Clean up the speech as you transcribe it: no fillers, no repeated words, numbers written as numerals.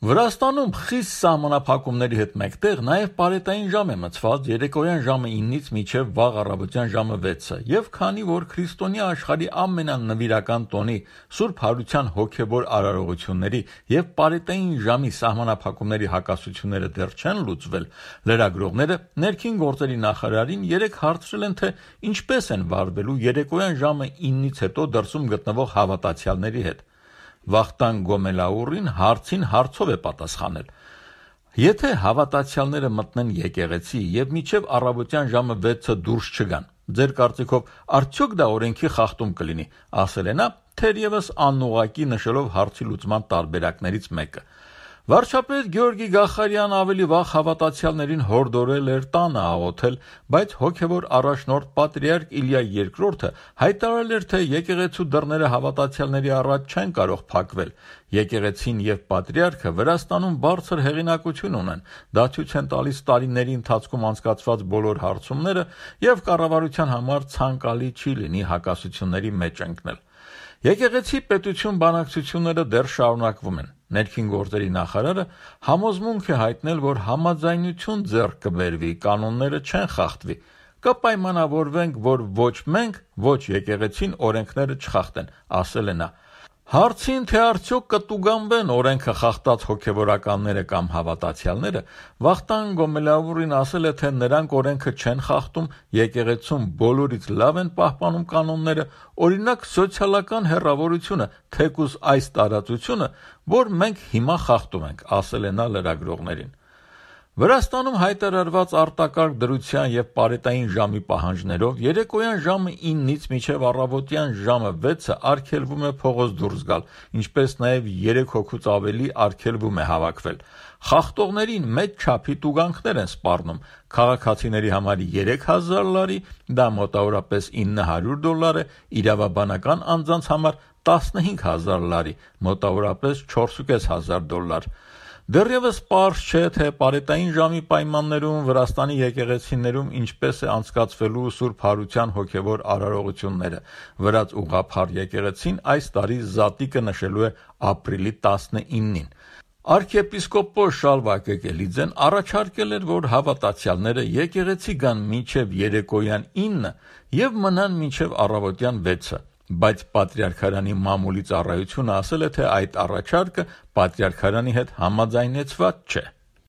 Վրաստանում խիստ սահմանափակումների հետ մեկտեղ նաև պարետային ժամ է մտցված երեկոյան ժամը 9-ից մինչև վաղ առավոտյան ժամը 6-ը, եւ քանի որ քրիստոնյա աշխարհի ամենանվիրական տոնի Սուրբ Հարության հոգևոր արարողությունների եւ պարետային ժամի սահմանափակումների հակասությունները դեռ չեն լուծվել, լրագրողները ներքին գործերի նախարարին երեկ հարցրել են, թե ինչպես են վարվելու երեկոյան ժամը 9-ից հետո դրսում գտնվող հավատացյալների հետ։ Վախտանգ Գոմելաուրին հարցին հարցով է պատասխանել. Եթե հավատացյալները մտնեն եկեղեցի եւ մինչեւ առավոտյան ժամը 6-ը դուրս չգան, ձեր կարծիքով արդյոք դա օրենքի խախտում կլինի, ասել է նա, թերևս անուղղակի նշելով հարցի լուծման տարբերակներից մեկը։ Վարչապետ Գյորգի Գախարյան ավելի վաղ հավատացյալներին հորդորել էր տանը աղոթել, բայց հոգևոր առաջնորդ պատրիարք Իլիա II հայտարարել էր, թե եկեղեցու դռները հավատացյալների առաջ չեն կարող փակվել։ Եկեղեցին եւ պատրիարքը Վրաստանում բարձր հեղինակություն ունեն, դա ցույց են տալիս տարիների ընթացքում անցկացված բոլոր հարցումները եւ կառավարության համար ցանկալի չի լինի հակասությունների մեջ ընկնել։ Եկեղեցի պետություն բանակցությունները դեռ շարունակվում են։ Ներքին գործերի նախարարը համոզմունք է հայտնել, որ համաձայնություն ձեռք կբերվի, կանոնները չեն խախտվի։ Կպայմանավորվենք, որ ոչ մենք, ոչ եկեղեցին օրենքները չխախտեն, ասել է նա։ Հարցին, թե արդյոք կտուգանվեն օրենքը խախտած հոգևորականները կամ հավատացյալները, Վախտանգ Գոմելաուրին ասել է, թե նրանք օրենքը չեն խախտում, եկեղեցում բոլորից լավ են պահպանում կանոնները, օրինակ սոցիալական հեռավորությունը, թեկուզ այս տարածությունը, որ մենք հիմա խախտում ենք, ասել է նա լրագրողներին։ Վրաստանում հայտարարված արտակարգ դրության եւ պարետային ժամի պահանջներով երեկոյան ժամը 9-ից մինչև առավոտյան ժամը 6-ը արգելվում է փողոց դուրս գալ, ինչպես նաեւ 3 հոգուց ավելի արգելվում է հավաքվել։ Խախտողներին մեծ չափի տուգանքներ են սպառնում։ Քաղաքացիների համար $3000, դա մոտավորապես $900 է, իրավաբանական անձանց համար $15000, մոտավորապես $4500։ Դեռևս պարզ չէ, թե պարետային ժամի պայմաններում Վրաստանի եկեղեցիներում ինչպես է անցկացվելու Սուրբ Հարության հոգևոր արարողությունները։ Վրաց ուղղափառ եկեղեցին այս տարի զատիկը նշելու է ապրիլի 19-ին։ Արքեպիսկոպոս Շալվա Կեկելիձեն առաջարկել էր, որ հավատացյալները եկեղեցի գան մինչև երեկոյան 9 եւ մնան մինչև առավոտյան 6-ը, բայց Պատրիարքարանի մամուլի ծառայությունը ասել է, թե այդ առաջարկը Պատրիարքարանի հետ համաձայնեցված չէ։